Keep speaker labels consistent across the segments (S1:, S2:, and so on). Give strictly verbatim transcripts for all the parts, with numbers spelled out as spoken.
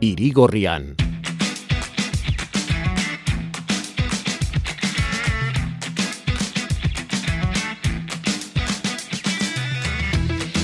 S1: Irigorrian.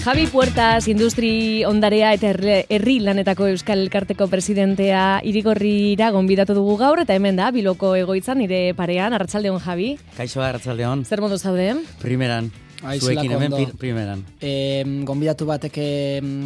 S2: Javi Puertas, industri ondarea eta herri lanetako Euskal Elkarteko presidentea Irigorrira gonbidatu dugu gaur, eta hemen da, Bilboko egoitzan, nire parean. Arratsaldeon, Javi.
S3: Kaixo, arratsaldeon.
S2: Zer modu zaude?
S3: Primeran. Zuekin hemen primeran.
S4: E, gonbidatu batek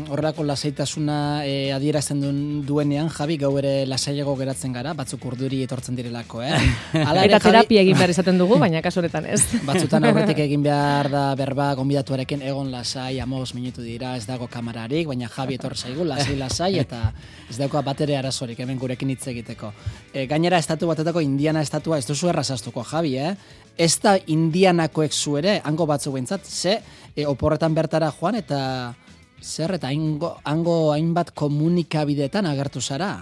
S4: horrelako lasaitasuna e, adierazten duen, duenean, Javi, gau ere lasaiago geratzen gara, batzuk urduri etortzen direlako, eh? Ala ere,
S2: eta terapia egin behar izaten dugu, baina kasu honetan ez.
S4: Batzutan aurretik egin behar da berba gonbidatuarekin egon lasai, amos minutu dira, ez dago kamararik, baina Javi etor zaigu, lasai lasai, eta ez dauka batere arazorik hemen gurekin hitz egiteko. E, gainera, estatu batetako Indiana estatua ez duzu errazaztuko, Javi, eh? Ez da Indianakoek zu ere, hango batzu behintzat, ze e, oporretan bertara joan eta zer eta hango, hango hainbat komunikabideetan agertu zara?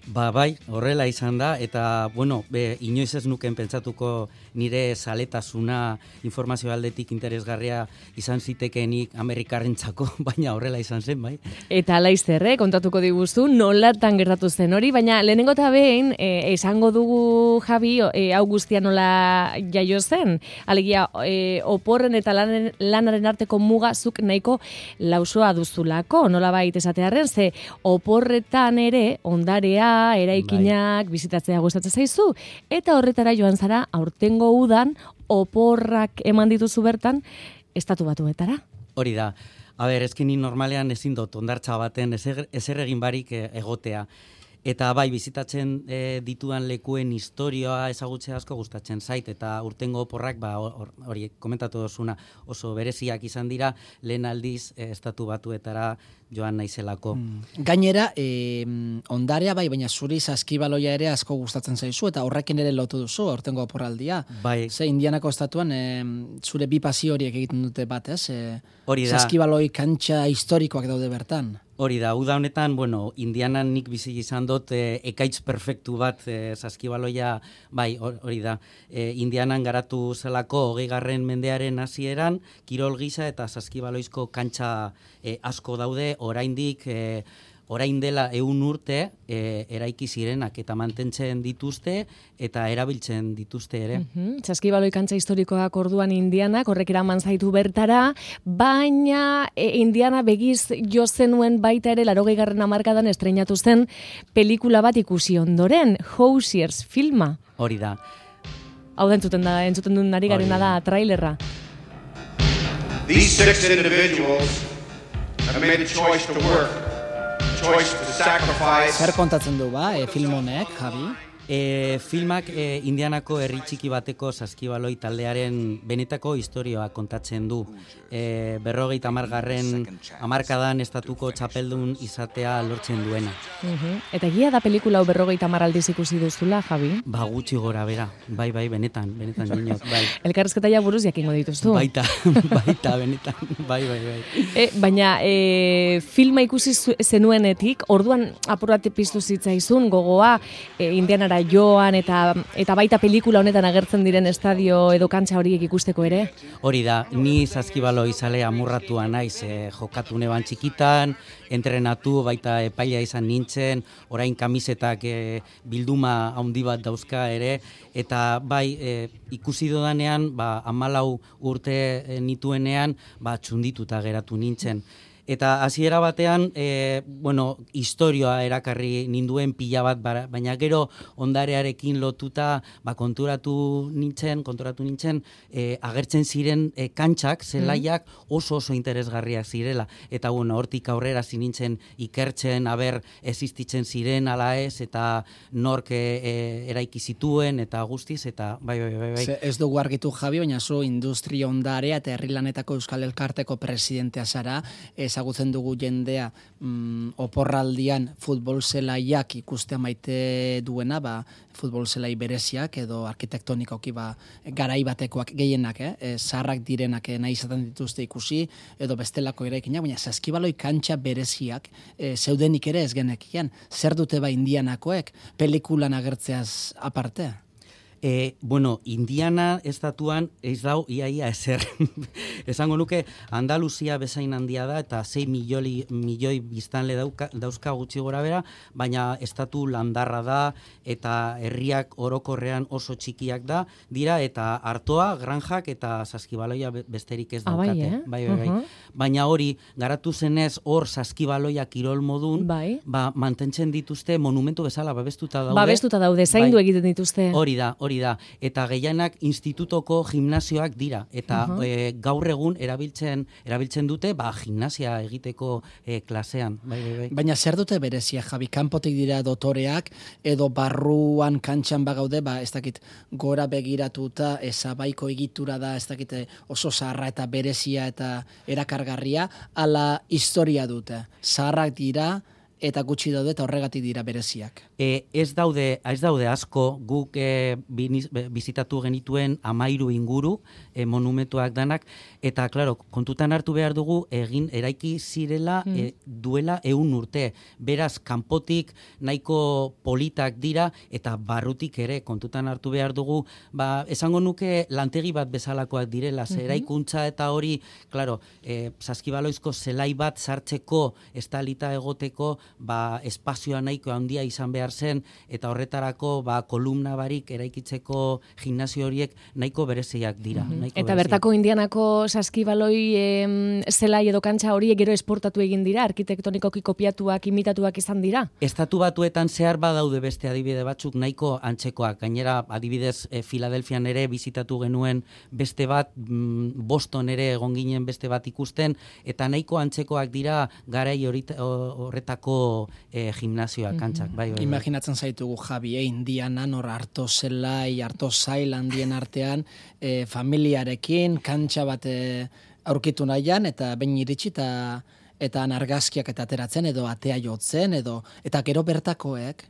S3: Ba, bai, horrela izan da, eta, bueno, be, inoiz ez nuken pentsatuko nire zaletasuna informazio aldetik interesgarria izan zitekenik Amerikarrentzako, baina horrela izan zen, bai.
S2: Eta laizzer, eh, kontatuko diguzu, nolatan gertatu zen hori, baina lehenengo eta behin, eh, esango dugu, Javi, eh, hau guztia nola jaio zen, alegia, eh, oporren eta lanen, lanaren arteko mugazuk nahiko lausoa duzulako, nola baita esatearen, ze oporretan ere, ondarea, eraikinak, bai, bizitatzea gustatzen zaizu, eta horretara joan zara aurtengo udan oporrak eman dituzu bertan estatu batuetara.
S3: Hori da. A ber, ezkini normalean ezin dut ondartza baten ezer, ezer egin barik egotea. Eta bai, bizitatzen e, ditudan lekuen historioa ezagutzea asko gustatzen zait, eta urtengo oporrak, ba, hori komentatu dozuna, oso bereziak izan dira, lehen aldiz e, estatu batuetara joan naizelako.
S4: Mm. Gainera, e, ondarea bai, baina zuri saskibaloia ere asko gustatzen zaizu, eta horrekin ere lotu duzu, urtengo oporraldia.
S3: Bai.
S4: Ze, Indianako estatuan, e, zure bi pasio horiek egiten dute bat, ez? E,
S3: hori da.
S4: Saskibaloi kantxa historikoak daude bertan.
S3: Hori da, uda honetan, bueno, Indianan nik bizi izan dut e, ekaitz perfektu bat e, saskibaloia, bai, hori da, e, Indianan garatu zelako hogeigarren mendearen hasieran, kirol gisa eta saskibaloizko kantxa e, asko daude, oraindik, e, orain dela ehun urte e, eraiki zirenak eta mantentzen dituzte eta erabiltzen dituzte ere.
S2: Mm-hmm. Saskibaloi kantxa historikoak orduan Indianak, horrek eraman zaitu bertara, baina e, Indiana begiz jo zenuen baita ere laurogeigarren hamarkadan estreinatu zen pelikula bat ikusi ondoren, Hoosiers filma.
S3: Hori da.
S2: Hau da entzuten da, entzuten duen ari garena da trailerra.
S5: These six individuals have made a choice to work.
S4: Zer kontatzen du ba, e, film honek, Javi?
S3: E, filmak e, Indianako herri txiki bateko saskibaloi taldearen benetako historioa kontatzen du. E, berrogeita hamargarren hamarkadan estatuko txapeldun izatea lortzen duena.
S2: Uh-huh. Eta egia da pelikula hau berrogeita hamar aldiz ikusi duzula, Javi?
S3: Ba, gutxi gora bera, bai, bai, benetan, benetan dinot, bai.
S2: Elkarrezketa ja buruz jakingo dituztu.
S3: Baita, baita, benetan, bai, bai, bai.
S2: E, baina e, filma ikusi zenuenetik, orduan apurate piztu zitzaizun gogoa e, Indianara joan eta eta baita pelikula honetan agertzen diren estadio edo kantxa horiek ikusteko ere?
S3: Hori da, ni saskibalo izale amurratua naiz, e, jokatu neban txikitan, entrenatu, baita epaila izan nintzen, orain kamisetak e, bilduma handi bat dauzka ere, eta bai, e, ikusi dodanean, ba, hamalau urte e, nituenean, ba, txundituta geratu nintzen. Eta hasiera batean, e, bueno, historioa erakarri ninduen pila bat, baina gero ondarearekin lotuta, ba, konturatu nintzen, konturatu nintzen, e, agertzen ziren e, kantxak, zelaiak oso oso interesgarriak zirela. Eta bueno, hortik aurrera zinintzen ikertzen, aber existitzen ziren ala ez, eta nork e, e, eraiki zituen, eta guztiz, eta bai, bai, bai, bai.
S4: Ze ez dugu argitu, Javi, baina zu industria ondarea eta herri lanetako Euskal Elkarteko presidentea zara, ezagutzen dugu jendea mm, oporraldian futbol zelaiak ikustea maite duena, ba, futbol zelai bereziak edo arkitektonikoki ba, garai batekoak gehienak, eh? E, zaharrak direnak nahi izaten dituzte ikusi, edo bestelako eraikinak, baina saskibaloi kantxa bereziak e, zeudenik ere ez genekian. Zer dute ba Indianakoek pelikulan agertzeaz aparte?
S3: E, bueno, Indiana estatuan ez dau iaia ezer. Esango nuke Andaluzia bezain handia da eta sei milioi, milioi biztanle dauka, dauzka gutxi gora bera, baina estatu landarra da eta herriak orokorrean oso txikiak da dira eta artoa, granjak eta saskibaloia besterik ez daukate.
S2: Ah, bai, eh?
S3: bai, bai, bai. Uh-huh. Baina hori, garatu zenez hor saskibaloia kirol modun,
S2: bai.
S3: ba, mantentzen dituzte monumentu bezala babestuta daude.
S2: Babestuta daude, zaindu bai. Egiten dituzte.
S3: Hori da, hori da. Eta gehienak institutoko gimnasioak dira. Eta uh-huh. e, gaur egun erabiltzen erabiltzen dute, ba, gimnasia egiteko e, klasean. Bai, bai, bai.
S4: Baina zer dute berezia, Javi? Kanpotik dira dotoreak, edo barruan kantxan bagaude, ba, ez dakit, gora begiratuta, ezabaiko egitura da, ez dakit, oso zaharra eta berezia eta erakargarria, ala historia dute. Zaharrak dira, eta gutxi daude eta horregatik dira bereziak.
S3: E, ez daude, ez daude asko, guk e, bizitatu genituen amairu inguru e, monumentuak danak, eta claro, kontutan hartu behar dugu egin eraiki zirela mm. e, duela ehun urte. Beraz, kanpotik nahiko politak dira eta barrutik ere kontutan hartu behar dugu, ba, esango nuke lantegi bat bezalakoak direla, mm-hmm. eraikuntza eta hori, claro, e, saskibaloizko zelai bat sartzeko estalita egoteko, ba, espazioa nahiko handia izan behar zen, eta horretarako ba, kolumna barik eraikitzeko gimnasio horiek nahiko bereziak dira.
S2: Mm-hmm.
S3: Nahiko
S2: eta
S3: bereziak.
S2: Bertako Indianako saskibaloi em, zelai edo kantxa horiek gero esportatu egin dira, arkitektonikoki kopiatuak, imitatuak izan dira?
S3: Estatu batuetan zehar badaude beste adibide batzuk nahiko antzekoak. Gainera, adibidez, e, Filadelfian ere bizitatu genuen beste bat, mm, Boston ere egon ginen beste bat ikusten, eta nahiko antzekoak dira garai horretako e, gimnasioak, kantxak. Bai, bai, bai.
S4: Imaginatzen zaitugu, Javi, eh, Indianan, hor harto zelai, harto zail handien artean, eh, familiarekin, kantxa bat eh, aurkitu nahian, eta behin iritsi eta eta argazkiak eta ateratzen, edo atea jotzen, edo eta gero bertakoek,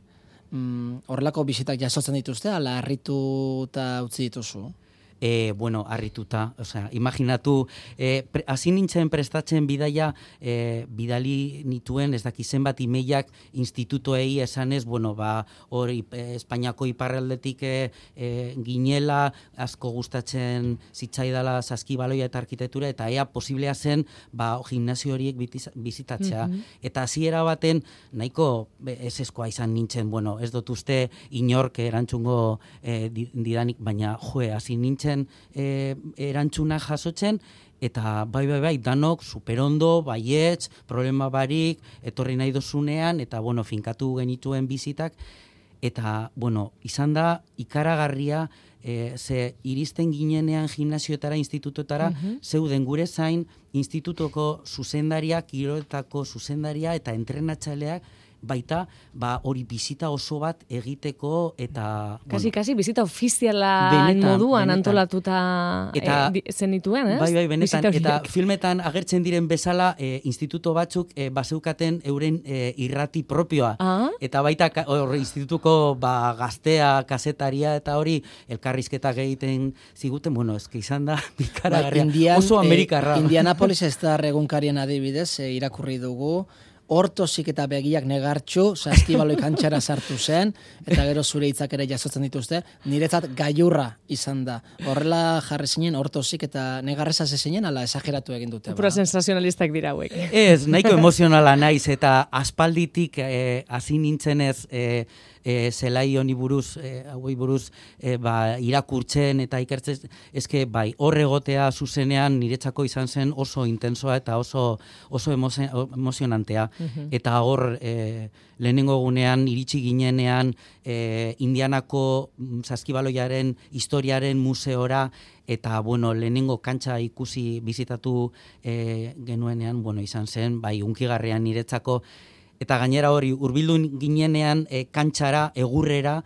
S4: mm, horrelako bisitak jasotzen dituzte, ala harritu eta utzi dituzu?
S3: E, bueno, harrituta, osea, imaginatu, e, pre, hasi nintzen prestatzen bidaia, e, bidali nituen, ez daki zenbat imeiak institutoei esanez, bueno, ba, hori e, Espainiako iparraldetik e, e, ginela, asko gustatzen zitzaidala saskibaloia eta arkitektura, eta ea posiblea zen, ba, gimnasio horiek bizitatzea. Mm-hmm. Eta hasiera baten, nahiko eseskoa izan nintzen, bueno, ez dut uste inork erantzungo e, didanik, baina, joe, hasi nintzen, E, erantzuna jasotzen, eta bai, bai, bai, danok superondo, baietz, problema barik, etorri nahi dozunean, eta, bueno, finkatu genituen bizitak, eta, bueno, izan da ikaragarria, e, ze iristen ginenean gimnasioetara, institutotara, uh-huh. zeuden gure zain, institutoko zuzendaria, kiroletako zuzendaria, eta entrenatzaileak, baita, ba, hori bizita oso bat egiteko eta...
S2: Kasi, bueno, kasi, bizita ofiziala
S3: benetan,
S2: moduan
S3: benetan.
S2: Antolatuta
S3: eta,
S2: e, zenituen, ez?
S3: Bai, bai, benetan, eta filmetan agertzen diren bezala, e, instituto batzuk e, bazeukaten euren e, irrati propioa.
S2: Ah?
S3: Eta baita, hor, institutuko ba, gaztea, kasetaria, eta hori, elkarrizketak egiten ziguten, bueno, eski izan da, bikaragarria,
S4: ba,
S3: oso amerikarra.
S4: Eh, Indianapolis ez da egunkarien adibidez, eh, irakurri dugu, hortozik eta begiak negartxu, saskibaloi kantxara sartu zen, eta gero zure hitzak ere jasotzen dituzte, niretzat gailurra izan da. Horrela jarri zinen, hortozik eta negarreza zinen, ala esageratu egin dute.
S2: Pura sensazionalistak dira hauek.
S3: Ez, nahiko emozionala naiz, eta aspalditik hasi eh, nintzenez, eh, E, zelai honi buruz, e, hauei buruz e, ba, irakurtzen eta ikertzen, eske bai, horre egotea zuzenean niretzako izan zen oso intensoa eta oso oso emozionantea. Uh-huh. Eta hor, e, lehenengo egunean iritsi ginenean e, Indianako saskibaloiaren historiaren museora, eta bueno, lehenengo kantxa ikusi bizitatu e, genuenean, bueno, izan zen, bai, unkigarrian niretzako. Eta gainera hori, hurbildu ginenean e, kantxara, egurrera,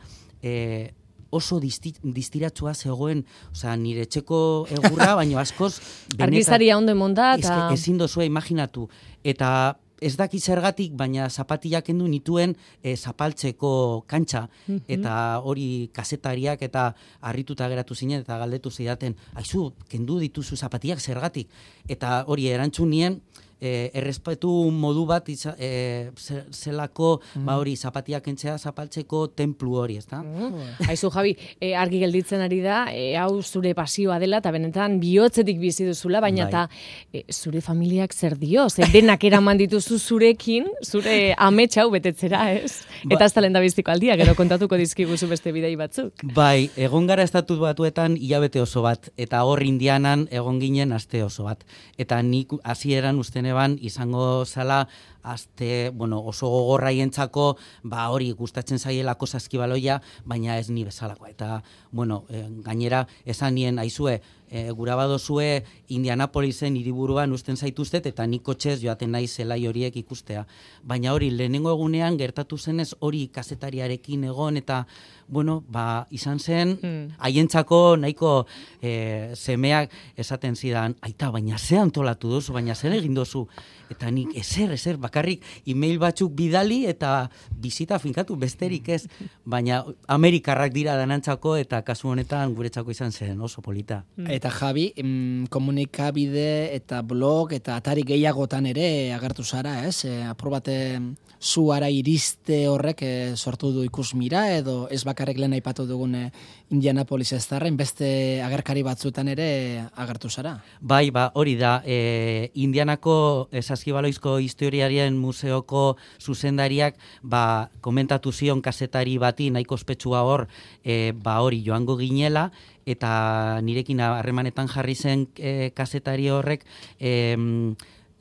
S3: e, oso disti, distiratsua zegoen, osea, nire etxeko egurra, baino askoz...
S2: Argizaria ondo emonda, eta...
S3: Ezin dozua imaginatu. Eta ez daki zergatik, baina zapatillak kendu nituen e, zapaltzeko kantxa, mm-hmm. eta hori kazetariak eta harrituta geratu zinen, eta galdetu zidaten, aizu, kendu dituzu zapatillak zergatik. Eta hori erantzun nien, e, errespetu modu bat iza, e, zelako mm. ba hori zapatiak entzea zapaltzeko templu hori, ezta?
S2: Mm. Aizu Javi, e, argi gelditzen ari da, e, hau zure pasioa dela eta benetan bihotzetik bizi duzula, baina eta e, zure familiak zer dio? Ze denak eraman dituzu zurekin, zure amets hau betetzera, ez? Ba, eta ez talenda biztiko aldia, gero kontatuko dizkiguzu beste bidei batzuk.
S3: Bai, egon gara Estatu Batuetan hilabete oso bat, eta hor Indianan egon ginen aste oso bat. Eta nik hasieran usten eban izango zala aste, bueno, oso gogorraientzako, ba hori gustatzen zaielako saskibaloia, baina ez ni bezalakoa. Eta, bueno, e, gainera esan nien aizue, e, gura badozue Indianapolisen hiriburuan usten zaituztet, eta nik kotxez joaten nahi zelai horiek ikustea. Baina hori, lehenengo egunean gertatu zenez hori kazetariarekin egon, eta, bueno, ba, izan zen, haientzako nahiko e, semeak esaten zidan, aita, baina ze antolatu duzu, baina zer egin duzu, eta nik ezer, ezer, bakarrik email batzuk bidali eta bizita finkatu besterik ez, baina Amerikarrak dira danantzako eta kasu honetan guretzako izan zen oso polita.
S4: Eta Javi, mm, komunikabide eta blog eta atari gehiagotan ere agertu zara, ez? E, apur bate zuara iriste horrek e, sortu du ikusmira, edo ez bakarrik lehen aipatu dugun e, Indianapolis ez darren, beste agerkari batzuetan ere agertu zara.
S3: Bai, ba, hori da, e, Indianako Saskibaloizko historiarien museoko zuzendariak ba, komentatu zion kazetari bati nahiko ospetsua hor, e, ba hori joango ginela, eta nirekin harremanetan jarri zen e, kazetari horrek, e,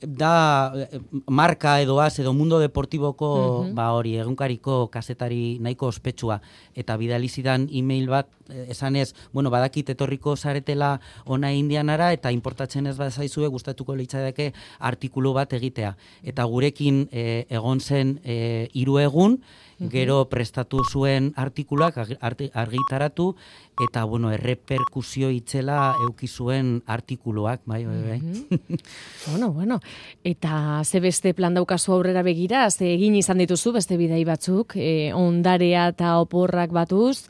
S3: da marka edo az edo mundo deportiboko uh-huh. ba hori egunkariko kazetari nahiko ospetsua, eta bidali zidan email bat esanez, bueno, badakit etorriko zaretela ona Indianara eta importatzen ez bazaizue gustatuko litzateke artikulu bat egitea, eta gurekin e, egon zen e, hiru egun, gero prestatu zuen artikuluak argitaratu, eta, bueno, erreperkusio itzela euki zuen artikuluak, bai, bai, bai.
S2: Mm-hmm. bueno, bueno, eta ze beste plan daukazu aurrera begira, ze egin izan dituzu beste bidei batzuk, e, ondarea eta oporrak batuz,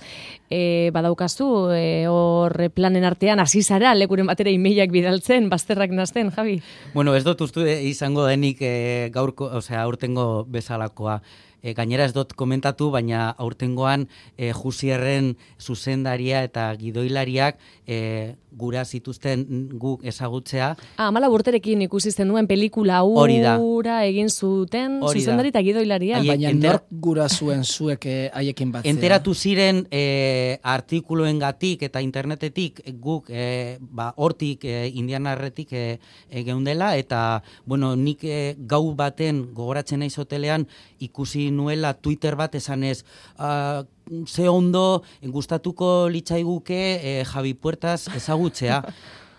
S2: e, badaukazu, e, hor planen artean, hasi zara, lekuren batera emailak bidaltzen, bazterrak nazten, Javi?
S3: Bueno, ez dut ustu izango denik e, gaurko, osea, aurtengo bezalakoa. E, gainera ez dut komentatu, baina aurtengoan e, Jusierren zuzendaria eta gidoilariak e, gura zituzten guk ezagutzea.
S2: Ah, amala urterekin ikusizten duen pelikula hura egin zuten zuzendari eta gidoilaria.
S4: Aie, baina entera... nork gura zuen zuek haiekin batzea?
S3: Enteratu ziren e, artikuluen gatik eta internetetik guk e, ba, hortik e, Indianarretik e, e, geundela, eta bueno, nik e, gau baten gogoratzen naiz hotelean ikusi nuela Twitter bat esanez, uh, ze ondo gustatuko litzaiguke eh, Javi Puertas ezagutzea.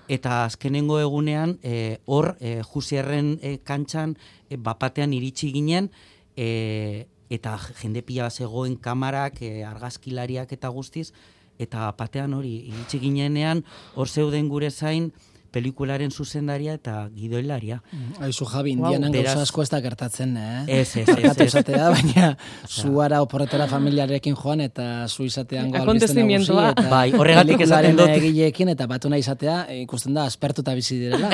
S3: Eta azkenengo egunean hor eh, eh, Jusierren eh, kantxan eh, bapatean iritsi ginen, eh, eta jende pila zegoen kamarak, eh, argazkilariak eta guztiz, eta bapatean hori iritsi ginenean hor zeuden gure zain pelikularen zuzendaria eta gidoilaria.
S4: Aizu Javi, Indianan wow. Gauza asko ez da gertatzen, eh?
S3: Ez, ez, ez. ez.
S4: Zatea, baina zuara oporretara familiarekin joan eta zu izatean goa albizten nagusi.
S3: Bai, horregatik esaten dut.
S4: Egileekin eta batu nahi izatea, ikusten da, aspertuta bizi direla.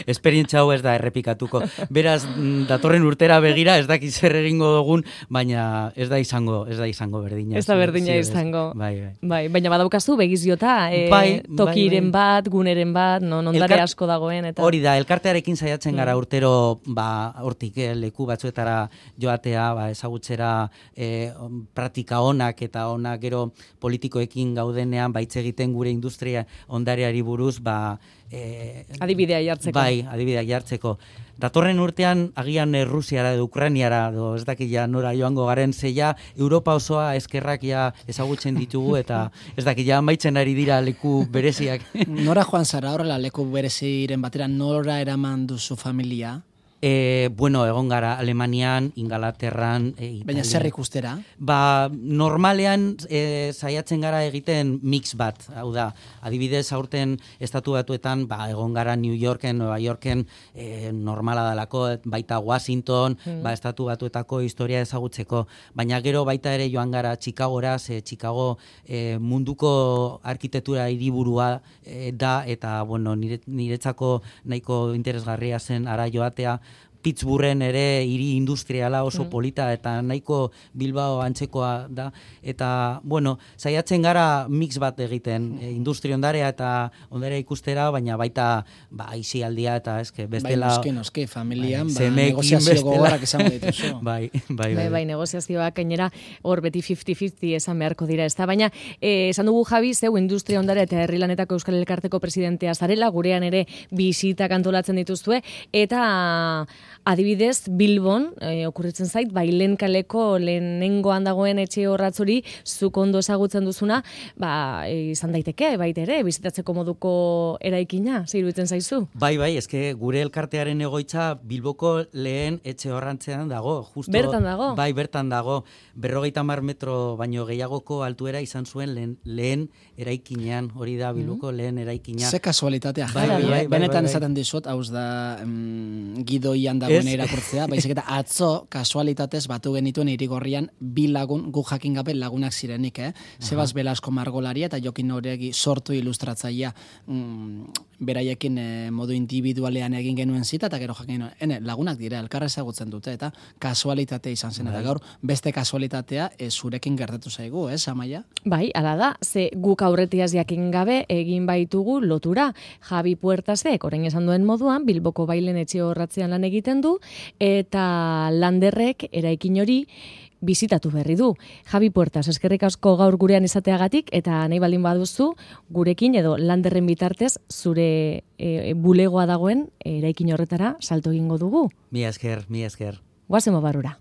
S3: Esperientzia hau ez da errepikatuko. Beraz, datorren urtera begira, ez dakiz zer egingo dugun, baina ez da izango, ez da izango berdina.
S2: Ez da berdina sí, izango.
S3: Bai, bai.
S2: Bai, baina badaukazu begiziota, e, bai, tokiren bai, bai. bat, guneren bat, non ondare Elkar... asko dagoen. Eta... Hori
S3: da, elkartearekin saiatzen gara mm. urtero, ba, hortik eh, leku batzuetara joatea, ba, ezagutzera eh, praktika onak eta onak gero politikoekin gaudenean, baitz egiten gure industria ondareari buruz, ba, eh,
S2: adibidea jartzeko.
S3: Bai, adibidea jartzeko. Datorren urtean, agian eh, Rusiara edo Ukrainiara, do, ez dakit ja nora joango garen zeia, Europa osoa eskerrak ja ezagutzen ditugu, eta ez dakit ja amaitzen ari dira leku bereziak.
S4: Nora joan zara horrela leku bereziren batera, nora eraman duzu familia?
S3: E, bueno, egon gara Alemanian, Ingalaterran, e, Italian.
S4: Baina zer ikustera?
S3: Ba, normalean e, saiatzen gara egiten mix bat, hau da, adibidez aurten estatu batuetan, ba, egon gara New Yorken, Nueva Yorken, e, normala dalako, baita Washington, mm. ba, estatu batuetako historia ezagutzeko, baina gero baita ere joan gara Chicagora, ze Chicago e, munduko arkitektura hiriburua e, da, eta, bueno, nire, niretzako nahiko interesgarria zen ara joatea, Pittsburghen ere hiri industriala oso mm. polita eta nahiko Bilbao antzekoa da, eta, bueno, saiatzen gara mix bat egiten, e, industria ondarea eta ondarea ikustera, baina baita, ba, aisialdia eta eske bestela...
S4: Bai, noski, noski, familian,
S3: bai,
S4: ba, negoziazio gogorrak izango dituzu.
S3: bai, bai, bai,
S2: bai, bai, negoziazioak gainera hor beti fifty fifty esan beharko dira, ez da, baina eh, esan dugu Javi, zeu industria ondarea eta herri lanetako Euskal Elkarteko presidentea zarela, gurean ere bisitak antolatzen dituzue, eta adibidez, Bilbon, e, okurritzen zait, bailen kaleko lehenengoan dagoen etxe horratzuri, zuk ondo ezagutzen duzuna, ba, e, izan daiteke, baita ere, bizitatzeko moduko eraikina, zeiruditzen zaizu?
S3: Bai, bai, eske gure elkartearen egoitza Bilboko lehen etxe horrantzean dago. Justo,
S2: bertan dago?
S3: Bai, bertan dago. Berrogeita mar metro baino gehiagoko altuera izan zuen lehen, lehen eraikinean, hori da Bilboko mm. lehen eraikina.
S4: Ze kasualitatea,
S3: bai, bai, bai, bai,
S4: benetan
S3: bai, bai.
S4: esaten dizut, hauz da mm, gidoian dagoen irakurtzea, baizik eta atzo kasualitatez batu genituen Irigorrian bi lagun, gu jakin gabe lagunak zirenik, eh? Sebas Belasko margolaria eta Jokin Oregi sortu ilustratzailea, mm, beraiekin eh, modu individualean egin genuen zita, eta gero jakin genuen, ene, lagunak dira, elkarra ezagutzen dute, eta kasualitatea izan zen, eta gaur beste kasualitatea e, zurekin gertatu zaigu, eh, Amaia?
S2: Bai, ala da, ze guk aurretiaz jakin gabe egin baitugu lotura. Javi Puertasek, orain esan duen moduan, Bilboko bailen etxe horratzean lan egiten du, eta Landerrek eraikin hori bizitatu berri du. Javi Puertas, eskerrik asko gaur gurean izateagatik, eta nahi baldin baduzu, gurekin edo Landerren bitartez, zure e, bulegoa dagoen eraikin horretara salto egingo dugu.
S3: Mi esker, mi esker.
S2: Guazemo barura.